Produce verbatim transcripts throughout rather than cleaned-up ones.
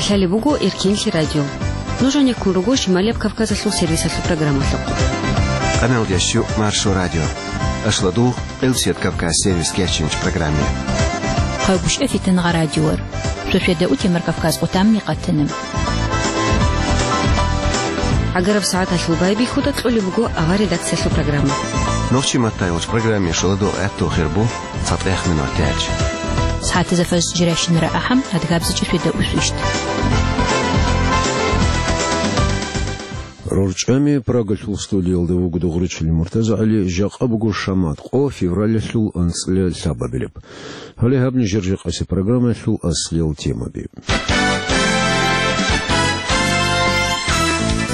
Лъалеб буго Эркенлъи радио. Нуж гьанеккун руго Шималияб Кавказалъул сервисалъул программалъухъ. Къаналдящу Маршо радио. Ашладугъ, Къилсият Кавказ сервис кечинч программе. Хъайгъушъа фитангъа радиор. Шошведа утемар Кавказ къутамни къатана. ГӀагараб сагӀаталъул байбихьуда кьолеб буго авар редакциялъул программа. Нохчи маттайгъуч программе шоладо гӀатту хирбу. ЦатӀех минут тяч. СагӀатазда фажр жирашинара ахӀам, адгабзичӀеб сведа усвищ. РорчӀами Прагалъул студиялда вуго Дугъричил МуртазагӀали, жакъа буго шамат къо февралалъул анцӀила лъабабилеб. Гьале гьаб нижер жакъасеб программаялъул аслиял темаби.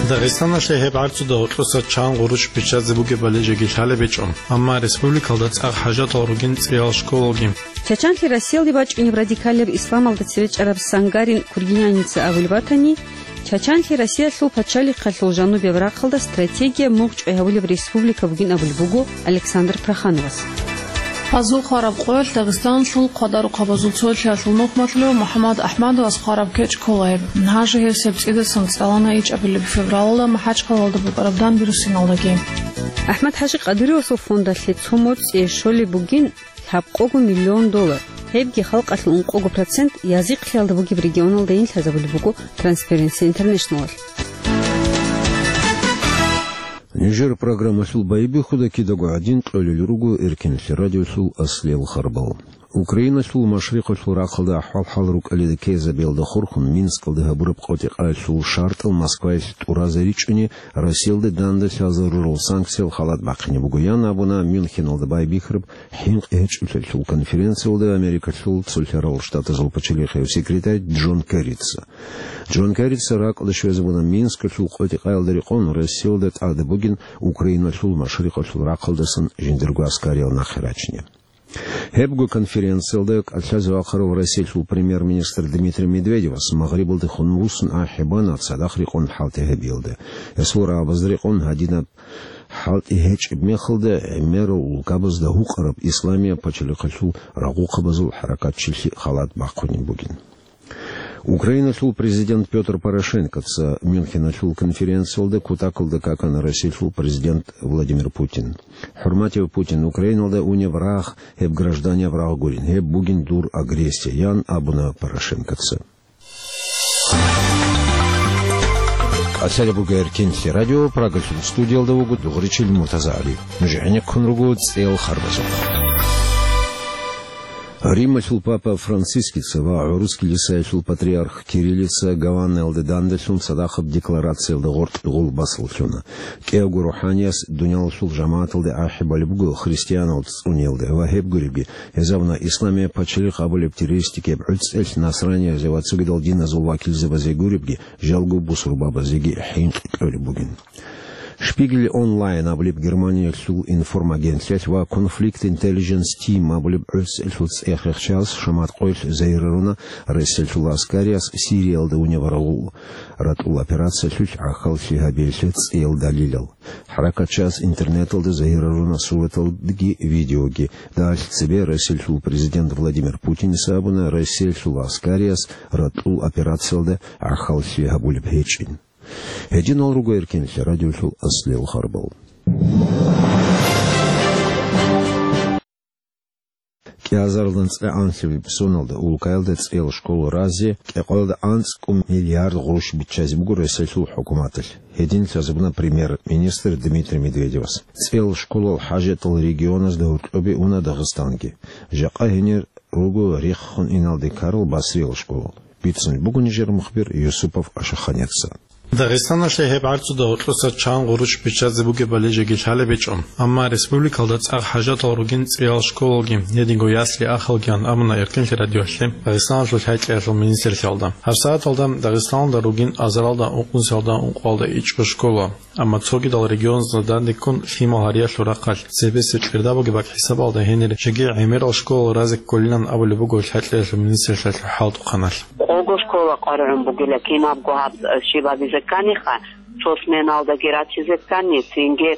Дагъистаналъе гьеб гӀарцуда гьоркьоса чан гъурущ биччазе бугебали жеги лъалеб гьечӀо, амма республикалда цӀакъ хӀажатал ругин цӀиял школалги. Чачанлъи Россиялде бачӀунеб радикалаб исламалда цеве чӀараб Сангарин Кургиняница абулеб батани, Чачанлъи Россиялъул пачалихъалъул жанубияб рахъалда стратегия мугъчӀвай гьавулеб республика бугин абулеб буго Александр Прохановас. Гьазул хвараб къоялъ Дагъистаналъул хъвадарухъабазул цолъиялъул нухмалъулев МухӀаммад АхӀмадовас хвараб кечӀ ккола гьеб. Нажи гьев сеп цӀидасан цӀалана ичӀабилеб февралалда МахӀачхъалалда букӀараб Данбирусиналдаги. АхӀмад-ХӀажи Къадыровасул фондалъе цо моцӀие щолеб бугин лъабкъого миллион доллар. Гьебги халкъалъул ункъого процент язихълъиялда бугеб регионалда инлъазабулеб буго Transparency International-алъ. Нижер программалъул байбихьуда кидаго гӀадин кьолел руго Эркенлъи радиолъул аслиял харбал. Украиналъул машрикъалъул рахъалда ахӀвал-хӀал рукӀалида ккезабиялда хурхун Минскалда гьабураб къотӀи-къаялъул шартӀал Москваялъ тӀуразе ричӀчӀуни, Россиялда дандалъазарурал санкциял халат бахъине буго, ян абуна Мюнхеналда байбихьараб хӀинкъи гьечӀолъиялъул конференциялда Америкалъул Цолъарал Штатазул пачалихъияв секретарь Джон Керрица. Джон Керрица ракӀалде щвезабуна Минскалъул къотӀи-къаялда рекъон Россиялда тӀад бугин Украиналъул машрикъалъул рахъалдасан жиндирго аскариял нахъе рачине. Гьебго конференциялда кӀалъазе вахъарав Россиялъул премьер-министр Дмитрий Медведевас Магърибалдехун вуссун ахӀи бана цадахъ рекъон хӀалтӀи гьабиялда. Гьесул рагӀабазда рекъон гьадинаб хӀалтӀи гьечӀеб мехалда гӀемерал улкабазда гьукъараб исламияб пачалихъалъул рагъухъабазул хӀаракатчилъи халат бахъунеб бугин. Украиналъул президент Пётр Порошенкоца Мюнхеналъул конференциялда кутакалда какана Россиялъул президент Владимир Путин. ХӀурматияв Путин, Украиналда унеб рагъ гьеб гражданияв рагъ гурин, гьеб бугин дур агрессия, ян абуна Порошенкоца. Асалабуга Эркенлъи радио, Прагалъул студиялда вуго Дугъричил МуртазагӀали. Нуж гӀенеккун руго цӀел харбазухъ. Рималъул папа Францискица ва гӀурус килисаялъул патриарх Кириллица Гаванаялда дандалъун цадахъаб декларациялда гъоркь гъул басаллъуна. КӀиявго рухӀаниялъ дуниялалъул жамагӀаталде ахӀи балеб буго христианал цӀуниялда ва гьеб гуребги, гьезабуна исламияб пачалихъ абулеб террористикияб гӀуцӀелъ насраниязе ва цогидал диназул вакилзабазе гуребги, жалго бусурбабазеги хӀинкъи кьолеб бугин. Шпигель Онлайн абулеб Германиялъул информагенталъ ва Conflict Intelligence Team абулеб гӀуцӀелъул цӀех-рехчалъ шамат къоялъ загьирлъуна Россиялъул аскариялъ Сириялда унеб рагъул ратӀул операциялъулъ гӀахьаллъи гьабиялъе цӀиял далилал. ХӀаракатчияс интернеталда загьирлъуна сураталги видеоги. Дагьалъ цебе Россиялъул президент Владимир Путиница абуна Россиялъул аскариялъ ратӀул операциялда гӀахьаллъи гьабулеб гьечӀин. Гьединал руго Эркенлъи радиолъул аслиял харбал. КӀиазарилан цӀе анлъабилеб соналда улкаялда цӀел школа разе, кӀикъоялда анцӀкӀун миллиард гъурущ биччазе буго Россиялъул хӀукуматалъ. Гьедин лъазабуна премьер-министр Дмитрий Медведевас. ЦӀел школал хӀажатал регионазда гьоркьобе уна Дагъистанги. Жакъа гьенир руго рехун иналде ккарал Басриял школал. Бицун буго нижер мухбир Юсупов Ашаханеца. Дагъистаналъе гьеб гӀарцуда гьоркьоса чан гъурущ биччазе бугебали жеги лъалеб гьечӀо, амма республикалда цӀакъ хӀажатал ругин цӀиял школалги, гьединго ясли-ахалгиян абуна Эркенлъи радиоялъе Дагъистаналъул хӀакъалъулъ министрлъиялда. ГьарсагӀаталда Дагъистаналда ругин азаралда ункънусиялда ункъоялда ичӀго школа. Амма цогидал регионазда дандеккун лъимал гьариялъул рахъалъ, цебесеб кьерда бугеб бакӀ хӀисабалда гьенир жеги гӀемерал школал разе кколилан абулеб буго хӀакъалъулъ министрлъиялъул хӀалтӀухъаналъ. Къого школа къваригӀун бугила, кинабго гьаб щибаби закканиха, Цо сменалдаги рачизе ккани, цинги,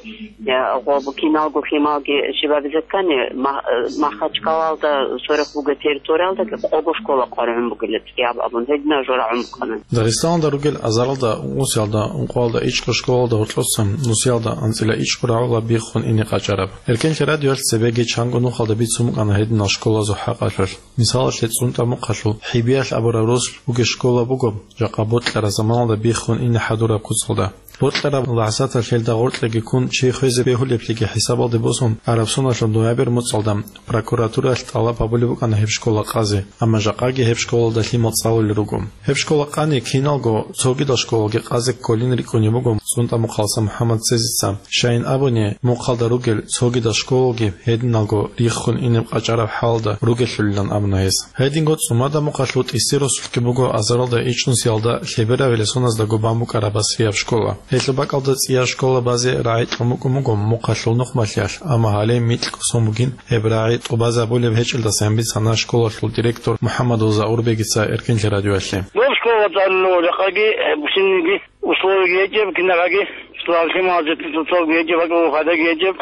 э, гъоб киналго лъималги щибабизе ккани, Ма-, э, Махачкалалда сверухъ бугеб территориялдаги къого школа къваригӀун бугила цӀияб абун, гьединаб жо рагӀун букӀана. Дагъистаналда ругел азаралда, ункъусиялда, ункъоялда ичӀго школалда гьоркьоса нусиялда анцӀила ичӀго рагӀула биххун ине къачӀараб. Эркенлъи радиоялъ цебеги чанго нухалда бицун букӀана гьединал школазул хӀакъалъулъ. Мисалалъе, ЦӀунтӀа-Мухъалъул ХӀибиялъ абураб росулъ бугеб школа буго, жакъа Бокьара заманалда биххун ине хӀадураб куцалда. Бокьараб лахӀзаталъ гьелда гъоркьеги ккун чи хвезе бегьулеблъиги хӀисабалде босун, араб соналъул ноябрь муцӀалда прокуратураялъ тӀалаб гьабулеб букӀана гьеб школа къазе, амма жакъаги гьеб школалда лъимал цӀалулел руго. Гьеб школа къани киналго цогидал школалги къазе кколин рикӀкӀунеб буго ЦӀунтӀа-Мухъалса МухӀаммад Цезица, щайин абуни, Мухъалда ругел цогидал школалги гьединалго риххун инеб къачӀараб хӀалалда ругелъулилан абуна гьес. Гьединго ЦӀумада-Мухъалъул ТӀиси росулъги буго азаралда ичӀнусиялда лъебераб гӀелесоназдаго бан букӀараб басрияб школа. Гьелъул бакӀалда цӀияб школа базе рагӀи кьун букӀун буго Мухъалъул нухмалъиялъ, амма гьале микьго сон бугин гьеб рагӀи тӀубазабулеб гьечӀелдасан бицана школалъул директор МухӀаммадул Заурбегица Эркенлъи радиоялъе. Доб школа цӀалулев жакъаги, э, бусинниги условияги гьечӀеб, кинабаги, лъималазе цоцолги гьечӀеб, бакӀалда файдаги гьечӀеб.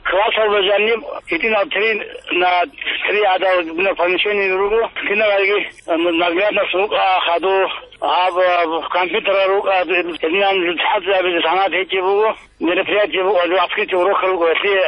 Классалда жаниб гьитӀинал три на три гӀадал помещение руго, кинабаги, э, наглядность рукӀа, хаду, гьаб, гьаб, компьютер рукӀа, гьединан цӀадабизе санат гьечӀеб буго, мероприятие буго, открытие урока руго, гьелъие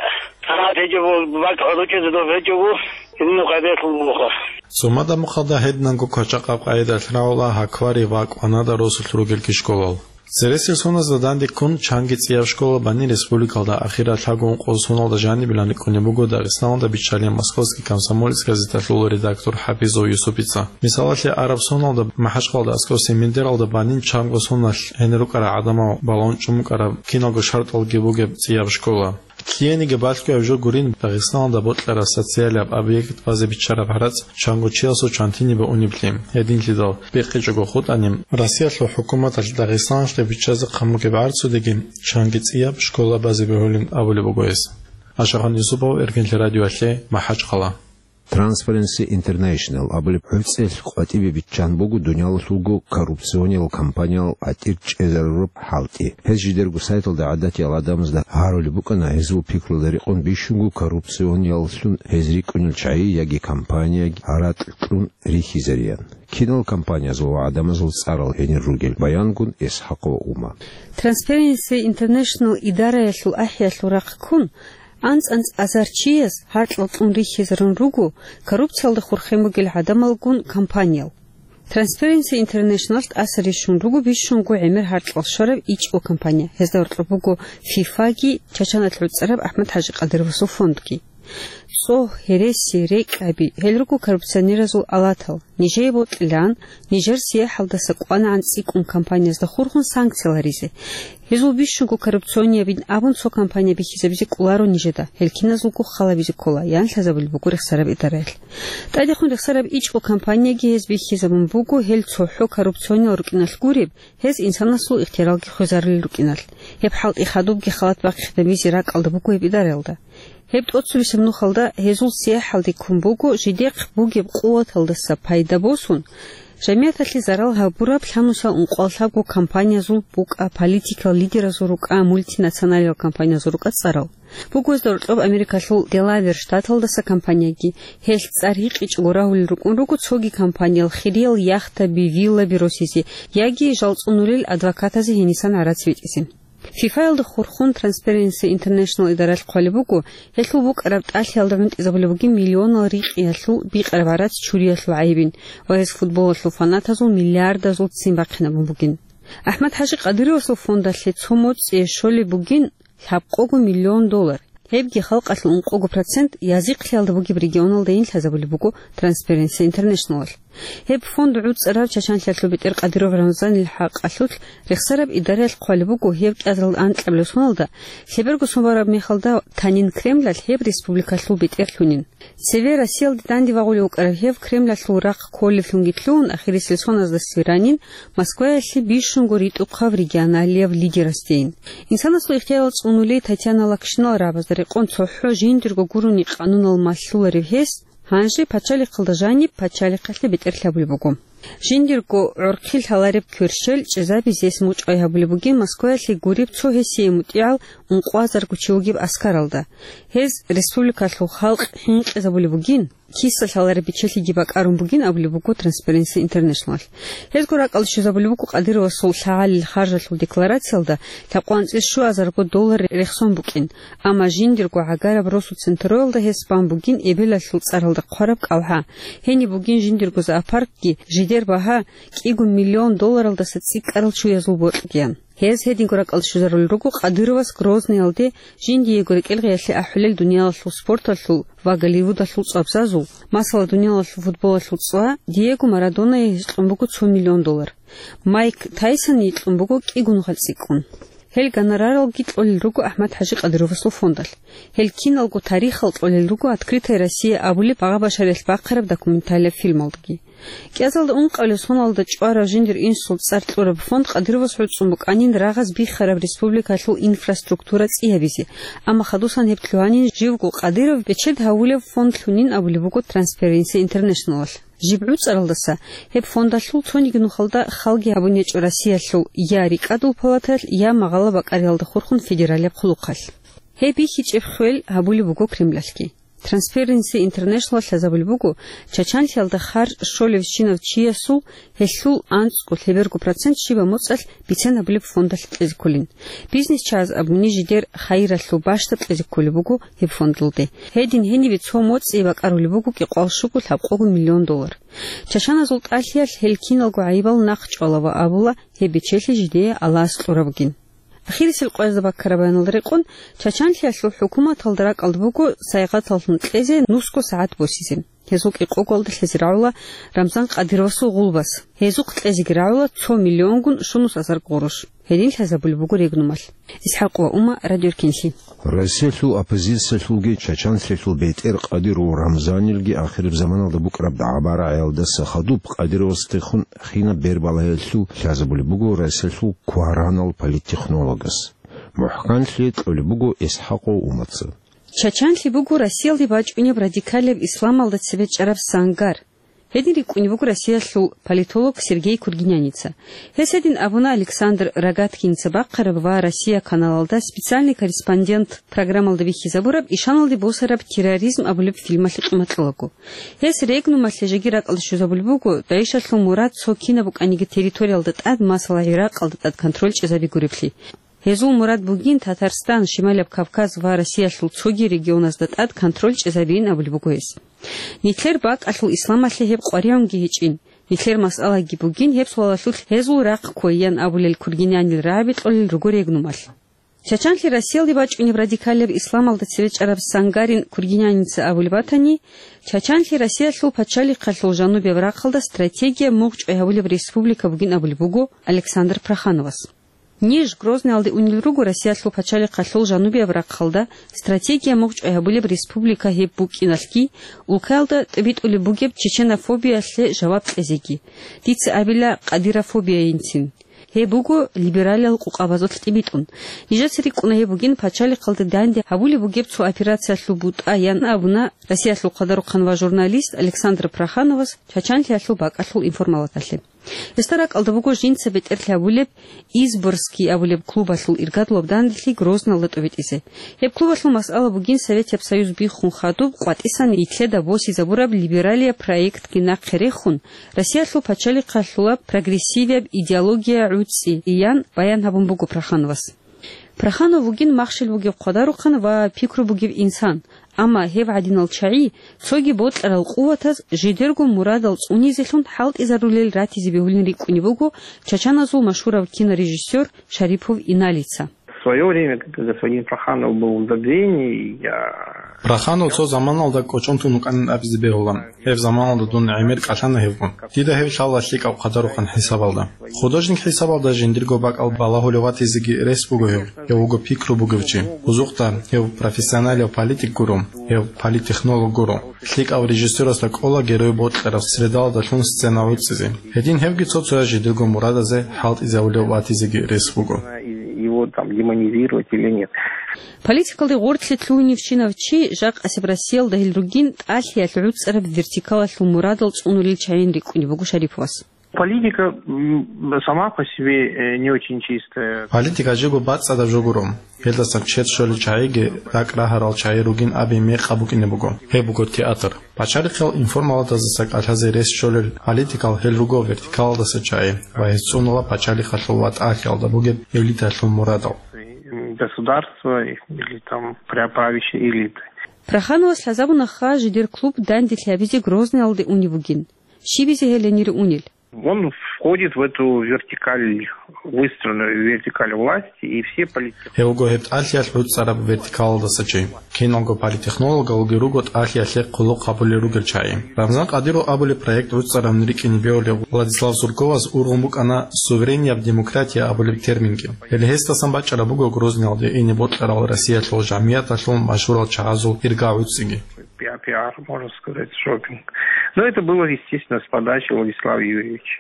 санат гьечӀеб буго, бакӀ гьоркьизе доб гьечӀого, гьединаб къайдаялъул буго. ЦӀумада-Мухъалда гьединанго квачахъаб къайдаялъ рагӀула Гьаквари ва КӀванада росулъ ругелги школал. Цересел соназда данде ккун чанги цӀияб школа бани республикалда ахирал лъабго-ункъо соналда жанибилан рикӀкӀунеб буго Дагъистаналда биччалеб Московский комсомолец газеталъул редактор ХӀапизов Юсупица. Мисалалъе, араб соналда МахӀачкъалда аскӀоси Мендералда банин чанго соналъ гьенир рукӀарал гӀадамал балагьун чӀун букӀараб киналго шартӀалги бугеб цӀияб школа. Лъиениги балъгояб жо гурин Дагъистаналда бокьараб социалияб объект базе биччараб гӀарац чанго чиясул чантине баунеблъи. Гьединлъидал бекъичӀого хутӀани, Россиялъул хӀукуматалъ Дагъистаналъе биччазе хъан бугеб гӀарцудеги чанги цӀияб школа базе бегьулин абулеб буго гьес. Ашахан Юсупов, Эркенлъи радиоялъе, МахӀачкъала. Transparency International абулеб гӀуцӀелъ къватӀибе биччан буго дуниялалъулго коррупциониял компаниял гьатӀир чӀезарураб хӀалтӀи. Гьез жидерго сайталда гӀадатиял гӀадамазда гьарулеб букӀана гьезул пикруялда рекъон бищунго коррупционияллъун гьез рикӀкӀунел чагӀи яги компанияги гьаракь кьун рихьизариян. Кинал компаниязул ва гӀадамазул цӀарал гьенир ругел баянгун Исхакъова Ума. Transparency International идараялъул ахӀиялъул рахъ ккун, анцӀ-анцӀ азар чияс гьаркьал кьун рихьизарун руго коррупциялда хурхен бугел гӀадамалгун компаниял. Transparency International тӀаса рищун руго бищунго гӀемер гьаркьал щвараб ичӀго компания. Гьезда гьоркьоб буго ФИФАги, Чачаналъ гӀуцӀараб АхӀмад-ХӀажи Къадыровасул фондги. ЦӀогь, гьереси, рекӀкӀаби, гьел руго коррупционеразул алатал. Нижее бокьилаан, нижер сияхӀалдаса кӀванагӀан цӀикӀкӀун компаниязда хурхун санкцияларизе. Гьезул бищунго коррупциониябин абун цо компания бихьизабизе кӀоларо нижеда, гьел киназулго халабизе ккола, ян лъазабулеб буго рехсараб идараялъ. ТӀадехун рехсараб ичӀго компанияги гьез бихьизабун буго, гьел цохӀо коррупциониял рукӀиналъ гуреб, гьез инсанасул ихтияралги хвезарулел рукӀиналъ. Гьеб хӀалтӀи хадубги халат бахъинабизе ракӀалда буго гьеб идараялда. Гьеб тӀоцебесеб нухалда гьезул сияхӀалде ккун буго, жидехъ бугеб къуваталдаса пайда босун, жамияталъе зарал гьабураб лъабнусал ункъоялъабго компаниязул букӀа, политикал лидеразул рукӀа, мультинационалиял компаниязул рукӀа цӀарал. Буго гьезда гьоркьоб Америкалъул Делавер штаталдаса компанияги, гьелъ цӀар гьикъичӀого рагьулел рукӀун руго цоги компаниял хириял яхтаби, виллаби росизе яги жал цӀунулел адвокатазе гьенисан гӀарац битӀизе. ФИФАялда хурхун Transparency International идаралъ хъвалеб буго, гьелъул букӀараб тӀалъиялда гӀунтӀизабулеб бугин миллионал рикъиялъул бикъараб гӀарац чуриялъул гӀайибин ва гьез футболалъул фанатазул миллиардазул ццин бахъинабун бугин. АхӀмад-ХӀажи Къадыровасул фондалъе цо моцӀие щолеб бугин лъабкъого миллион доллар. Гьебги халкъалъул ункъого процент язихълъиялда бугеб регионалдайин лъазабулеб буго Transparency Internationалалъ. Гьеб фонд гӀуцӀарав Чачанлъиялъул бетӀер Къадыров Рамзанил хӀакъалъулъ рехсараб идараялъ хъвалеб буго, гьеб кӀиазаралда анкьабилеб соналда, лъеберго сон бараб мехалда танин Кремлалъ гьеб республикалъул бетӀерлъунин. Цеве Россиялде данде вагъулев вукӀарав гьев Кремлалъул рахъ кколеблъунги лъугьун, ахирисел соназдасеги ранин, Москваялъе бищунго ритӀухъав регионалияб лидерасдейин. Инсанасул ихтиярал цӀунулей Татьяна Лакшинал рагӀабазда рекъон цохӀо жиндирго гурони къанунал малъуларев гьес, гьанже пачалихъалда жаниб пачалихъалъе бетӀерлъи гьабулеб буго. Жиндирго гӀорхъи лъалареб кверщел чӀезабизе гьес мучӀай гьабулеб бугин Москваялъе гуреб цо гьесие мутӀигӀал ункъоазарго чи вугеб аскаралда. Гьез республикалъул халкъ хӀинкъизабулеб бугин, киса лъалареб бичелъиги бакӀарун бугин абулеб буго Transparency International. Гьезго ракӀалде щвезабулеб буго Кадыровасул лъагӀалил харжалъул декларациялда лъабкъоялда анцӀила щуазарго доллар рехсон букӀин, амма жиндирго гӀагараб росу центроялда гьес бан бугин эбелалъул цӀаралда хъвараб кӀалгӀа. Гьениб бугин жиндирго зоопаркги, жидер багьа кӀиго миллион долларалдаса цӀикӀкӀарал чуязул бокьгиян. Гьез гьединго ракӀалде щвезарулел руго Кадыровас Грозныйалде жиндиего рекӀелгъиялъе ахӀулел дуниялалъул спорталъул ва Голливудалъул цӀвабзазул, масала, дуниялалъул футболалъул цӀва Диего Марадонае гьикьун буго цо миллион доллар. Майк Тайсоне гьикьун буго кӀиго нухалъ цӀикӀкӀун. Гьел гонораралги кьолел руго АхӀмад-ХӀажи Кадыровасул фондалъ. Гьел киналго тарихал кьолел руго «Открытая Россия» абулеб багъа-башариялъ бахъараб документалияб фильмалдаги. КӀиазалда ункъабилеб соналда чӀварав жиндир инсул цӀар кьураб фонд Кадыровас гӀуцӀун букӀанин рагъаз биххараб республикалъул инфраструктура цӀиябизе, амма хадусан гьеб лъугьанин живго Кадыров бечед гьавулев фондлъунин абулеб буго Transparency International-алъ. Жиб гӀуцӀаралдаса гьеб фондалъул цониги нухалда халги гьабун гьечӀо Россиялъул я РикӀкӀадул палаталъ, я магъала бакӀариялда хурхун федералияб хъулухъалъ. Гьеб бихьичӀеб хвел гьабулеб буго Кремлалъги. Transparency International лъазабулеб буго, Чачанлъиялда харж щолебщинав чиясул гьелъул анцӀго лъеберго процент щибаб моцӀалъ бицен гьабулеб фондалъ кьезе кколин. Бизнес чагӀаз абуни, жидер хайиралъул бащдаб кьезе кколеб буго гьеб фондалде. Гьедин гьенибе цо моцӀи бакӀарулеб буго кӀикъоялда щуго лъабкъого миллион доллар. Чачаназул тӀалъиялъ гьел киналго гӀайибал нахъчӀвала ва абула, гьеб бечелъи жидее Аллагьас кьураб бугин. Ахирисел къоязда баккараб баяналда рекъон, Чачанлъиялъул хӀукуматалда ракӀалда буго сайгъаталлъун кьезе нусго сагӀат босизе. Гьезул кӀикъоялда лъазе рагӀула Рамзан Кадыровасул гъулбас. Гьезухъ кьезеги рагӀула цо миллионгун щунус азар гъурущ. Гьедин лъазабулеб буго регнумалъ. ИсхӀакъ ва Ума, радиоркинлъи. Россиялъул оппозициялъулги Чачанлъиялъул бетӀер Кадыров Рамзанилги ахираб заманалда букӀараб дагӀба-рагӀиялдаса хадуб Кадыровасдехун хинаб бербалаялъул лъазабулеб буго Россиялъул кваранал политтехнологас. МухӀканлъи кьолеб буго ИсхӀакъов Умаца. Чачанлъи буго Россиялде бачӀунеб радикалияб исламалда цебе чӀараб сангар. Гьедин рикӀкӀунеб буго Россиялъул политолог Сергей Кургиняница. Гьес гьедин абуна Александр Рогаткиница бахъараб ва «Россия» каналалда «Специальный корреспондент» программалда бихьизабураб ишаналде босараб «Терроризм» абулеб фильмалъе къиматьлъулаго. Гьес регнумалъе жеги ракӀалде щвезабулеб буго, ДАИШалъул мурад цо кинаб букӀаниги территориялда тӀад, масала, ГӀиракъалда тӀад контроль чӀезабигуревлъи. Гьезул мурад бугин Татарстан, Шималияб Кавказ ва Россиялъул цоги регионазда тӀад контроль чӀезабейин абулеб буго гьес. Нилъер бакӀалъул исламалъе гьеб къваригӀунги гьечӀин. Нилъер масъалаги бугин гьеб суалалъулъ гьезул рахъ кквейин абулел Кургинянил рагӀаби кьолел руго регнумалъ. Чачанлъи Россиялде бачӀунеб радикалияб исламалда цеве чӀараб сангарин Кургиняница абулеб батани, Чачанлъи Россиялъул пачалихъалъул жанубияб рахъалда стратегия мугъчӀвай гьабулеб республика бугин абулеб буго Александр Прохановас. Ниж, Грозныйалде унел руго Россиялъул пачалихъалъул жанубияб рахъалда стратегия мугъчӀвай гьабулеб республика гьеб букӀиналъги, улкаялда тӀибитӀулеб бугеб чеченофобиялъе жаваб кьезеги. Дица абила, кадырофобиянцин. Гьеб буго либералиял къукъабазулъ тӀибитӀун. Нижеца рикӀкӀуна гьеб бугин пачалихъалда данде гьабулеб бугеб цо операциялъул бутӀа, ян абуна Россиялъул хъадарухъан ва журналист Александр Прохановас Чачанлъиялъул бакӀалъул информалаталъе. Гьесда ракӀалда буго жинца бетӀерлъи гьабулеб Изборский абулеб клубалъул иргадлъуб данделъи Грозналда тӀобитӀизе. Гьеб клубалъул масъала бугин Советияб Союз биххун хадуб къватӀисан нилъеда босизабураб либералияб проектги нахъе рехун, Россиялъул пачалихъалъулаб прогрессивияб идеология гӀуцӀи, ян баян гьабун буго Прохановас. Проханов вугин махщел бугев хъвадарухъан ва пикру бугев инсан, амма гьев гӀадинал чагӀи цоги бокьарал къуватаз жидерго мурадал цӀунизелъун хӀалтӀизарулел ратизе бегьулин рикӀкӀунеб буго чачаназул машгьурав кинорежиссер Шарипов Иналица. В своё время, когда господин Проханов был в забвении, я Проханов цо заманалда кӀочон тун вукӀанин абизе бегьула. Гьеб заманалда дун гӀемер кӀалъана гьевгун. Дида гьев лъала лъикӀав хъадарухъан хӀисабалда. Художник хӀисабалда жиндирго бакӀал балагьулев ватизеги рес буго гьев. Гьев вуго пикру бугев чи. Бузухъда, гьев профессионалив политик гуро, гьев политтехнолог гуро. ЛъикӀав режиссерасда кӀола герой бокьараб средалдалъун сцена гӀуцӀизе. Гьедин гьевги цо-цояз жидерго мурадазе хӀалтӀизавулев ватизеги рес буго. Его там демонизировать или нет. Политикалде гъорлъе лъугьуневщинав чи жакъасеб Россиялда гьел ругин тӀалъиялъ гӀуцӀараб вертикалалъул мурадал цӀунулел чагӀин рикӀкӀунеб буго Шариповас. Политика, м, сама по себе, э, не очень чистая. Политика жего бацӀцӀадаб жо гуро. Гьелдасан чед щолел чагӀиги ракӀ рагьарал чагӀи ругин абин мекъаб букӀине буго. Гьеб буго театр. Пачалихъал информалдаса кӀалъазе рес щолел политикал гьел руго вертикалалдаса чагӀи ва гьез цӀунула пачалихъалъул ва тӀалъиялда бугеб элиталъул мурадал. Государство или там пра-, правящая элита. Прохановас лъазабуна ха жидер клуб данделъи гьабизе Грозныялде унеб бугин. Щибизе гьел гьенире унел? Он входит в эту вертикаль, выстроенную вертикаль власти, и все политики. Гьев вуго гьеб тӀалъиялъ гӀуцӀараб вертикалалдаса чи. Киналго политтехнологалги руго тӀалъиялъе хъулухъ гьабулел ругел чагӀи. Рамзан Къадиров абулеб проект гӀуцӀарабни рикӀкӀине бегьулев Владислав Сурковас ургъун букӀана суверенияб демократия абулеб терминги. Гьеле гьесдасан бачӀараб буго Грозныялде ине бокьарал Россиялъул жамигӀяталъул машгьурал чагӀазул ирга гӀуцӀиги. Пиа-, пиар, можно сказать, шопинг. Но это было, естественно, с подачи Владислава Юрьевича.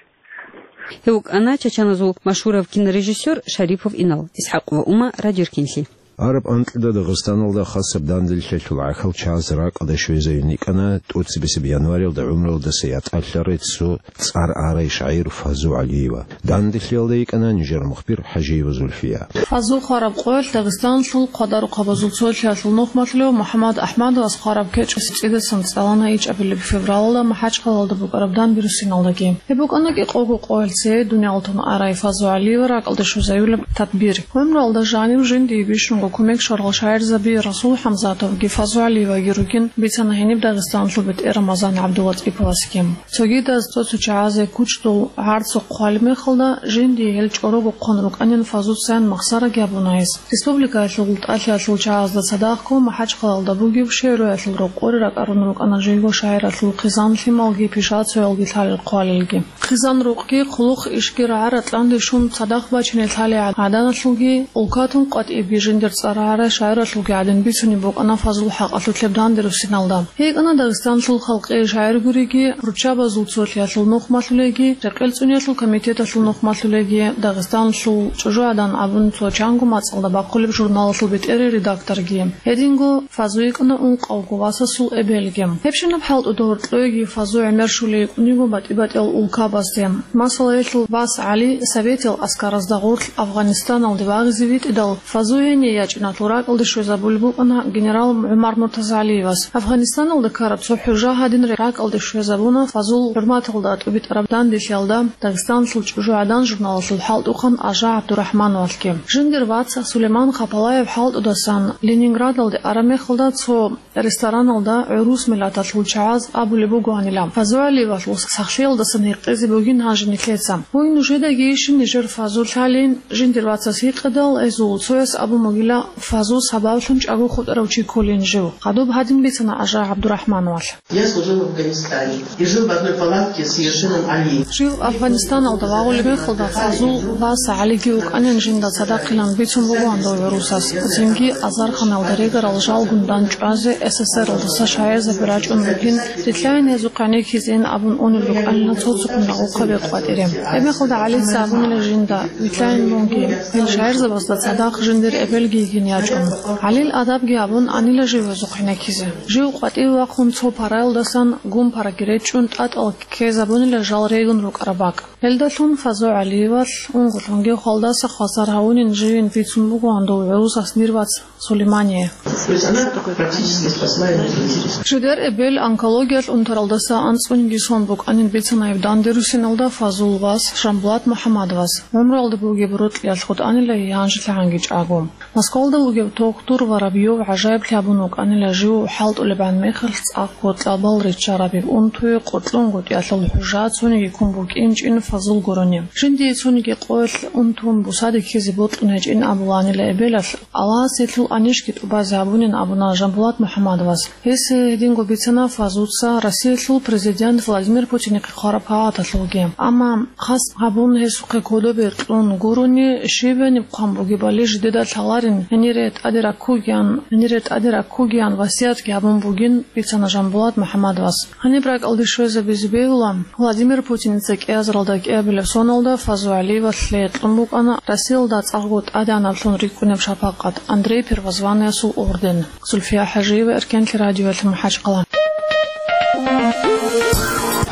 Гьев вукӀана чачаназул машгьурав кинорежиссер Шарипов Инал, ИсхӀакъ ва Ума, Радио Эркенлъи. Араб анкьида Дагъистаналда хасаб данделъиялъул гӀахьал чагӀаз ракӀалде щвезайин йикӀана тӀоцебесеб январалда гӀумруялдаса ятӀалъарай цо цӀар гӀарай шагӀир Фазу ГӀалиева. Данделъиялда йикӀана нижер мухбир ХӀажиева Зульфия. Фазу хвараб къоялъ Дагъистаналъул хъвадарухъабазул цолъиялъул нухмалъулев МухӀаммад АхӀмадовас хвараб кечӀ цӀидасан цӀалана ичӀабилеб февралалда МахӀачхъалалда букӀараб данде руссиналдаги. Гьеб букӀана кӀикъого къоялъ цее дунялалдун арай Фазу ГӀалиева ракӀалде щвезаюлеб тадбир. ГӀумруялда жанив жиндие бищунго кумек щварал шагӀирзаби Расул ХӀамзатовги Фазу ГӀалиеваги ругин, бицана гьениб Дагъистаналъул бетӀер Рамазан ГӀабдулатӀиповасги. Цогидаз цо-цо чагӀазе кучӀдул гӀарцухъ хъвалеб мехалда, жиндие гьел чӀорого хъван рукӀанин Фазуцаян махсараги абуна гьес. Республикаялъул тӀалъиялъул чагӀазда цадахъго МахӀачхъалалда бугеб шегӀруялъул рокъоре ракӀарун рукӀана живго шагӀиралъул хъизан-лъималги пишацоялги лъалел-хъвалелги. Хъизан-рукъги, хъулухъ-ишги рагӀа-ратӀлъанде щун цадахъ бачине лъалей гӀаданалъулги, улкатун къватӀибги жиндир цӀар гӀарай шагӀиралъулги гӀадин бицунеб букӀана Фазул хӀакъалъулъеб данде руссиналда. ГьикӀана Дагъистаналъул халкъияй шагӀир гуриги, руччабазул цолъиялъул нухмалъулейги, рекъел цӀуниялъул комитеталъул нухмалъулейги, Дагъистаналъул чӀужугӀадан абун цо чанго мацӀалда бахъулеб журналалъул бетӀерей редакторги. Гьединго Фазу йикӀана ункъавго васасул эбелги. Гьебщинаб хӀалтӀуда гьоркьойги Фазу гӀемер щулей йикӀун йиго батӀи-батӀиял улкабазде. Масала, гьелъул вас ГӀали советиял аскаразда гъорлъ Афгъанистаналде вагъизе витӀидал, Фазу гьение ячӀиналъул ракӀалде щвезабулеб букӀана генерал ГӀумар МуртазагӀалиевас. Афгъанистаналда ккараб цо хӀужа гьадин ракӀалде щвезабуна Фазул хӀурматалда тӀубитӀараб данделъиялда Дагъистаналъул чӀужугӀадан журналалъул хӀалтӀухъан Ажа ГӀабдурахӀмановалъги. Жиндир вац Сулейман Хапалаев хӀалтӀудасан Ленинградалде араб мехалда цо рестораналда гӀурус миллаталъул чагӀаз абулеб бугоанила, Фазу ГӀалиевалъул сахлъиялдасан гьекъезе бугин гьанже нилъеца. Гьуй, нужедагийищин нижер Фазу лъалин? Жиндир вацас гьикъидал, гьезул цояс абун бугила, Фазу сабаблъун чӀаго хутӀарав чи кколин жив. Хадуб гьадин бицана Ажа ГӀабдурахӀмановалъ. Я служил в Афганистане и жил в одной палатке с Ержином Алиевым. Жив Афганистаналда вагъулеб мехалда Фазул вас ГӀалиги вукӀанин жинда цадахъилан бицун бугоан дов гӀурусас. Цинги азарханалда регарал жалгун дандчӀвазе СССРалдаса шагӀирзаби рачӀун ругин, рилълъайин гьезухъ гӀенеккизейин абун унел рукӀанила цо-цоккун рагъухъаби къватӀире. Гьебмехалда ГӀалица абунила жинда, вилълъайин мунги, гьел шагӀирзабазда цадахъ жиндир эбелги йигин ячӀун. ГӀалил адабги абун анила жив гьезухъ гӀенеккизе. Жив къватӀиве вахъун цо параялдасан гун параги речӀчӀун тӀатӀал ккезабунила жал регун рукӀараб бакӀ. Гьелдалъун Фазу ГӀалиевалъ унго-лъунги хвалдаса хвасар гьавунин живин бицун бугоан дов гӀурусас дир вац Сулеймание. То есть она практически спасла его жизнь. Жидер эбел онкологиялъ унтаралдаса анцӀгониги сон букӀанин бицана гьеб данде руссиналда Фазул вас Жамбулат МухӀаммадовас. ГӀумруялда бугеб рокьиялъ хутӀанила гьанжелъагӀанги чӀаго. Москвалда вугев тохтур Воробьев гӀажаиблъи абун вукӀанила жив хӀалтӀулебгӀан мехалъ цӀакъго кьабал риччараб унтуе къолъунгутӀиялъул хӀужа цониги ккун букӀинчӀин Фазул гурони. Жиндие цониги къоялъ унтун бусаде ккезе бокьун гьечӀин абулаанила эбелалъ, Аллагьас гьелъул анищги тӀубазе гьабунин абуна Жамбулат МухӀаммадовас. Гьес гьединго бицана Фазуца Россиялъул президент Владимир Путинихъе хъвараб пагьаталъулги. Амма хас гьабун гьесухъе кодобе кьун гурони, щиб гьаниб хъван бугебали жидеда лъаларин, гьенире тӀаде раккугиян, гьенире тӀаде раккугиян васиятги гьабун бугин, бицана Жамбулат МухӀаммадовас. Гьаниб ракӀалде щвезабизе бегьула, Владимир Путиница кӀиазаралда кӀиабилеб соналда Фазу ГӀалиевалъе кьун букӀана Россиялда цӀакъго тӀадегӀанаблъун рикӀкӀунеб шапакъат, Андрей Первозванныйасул орден. Зульфия ХӀажиева, Эркенлъи радиоялъ, МахӀачхъала.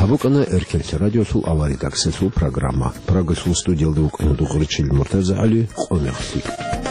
Гьаб букӀана Эркенлъи радиолъул аваридаксалъул программа. Прагалъул студиялда вукӀана Дугъричил МуртазагӀали, къо-мех лъикӀ.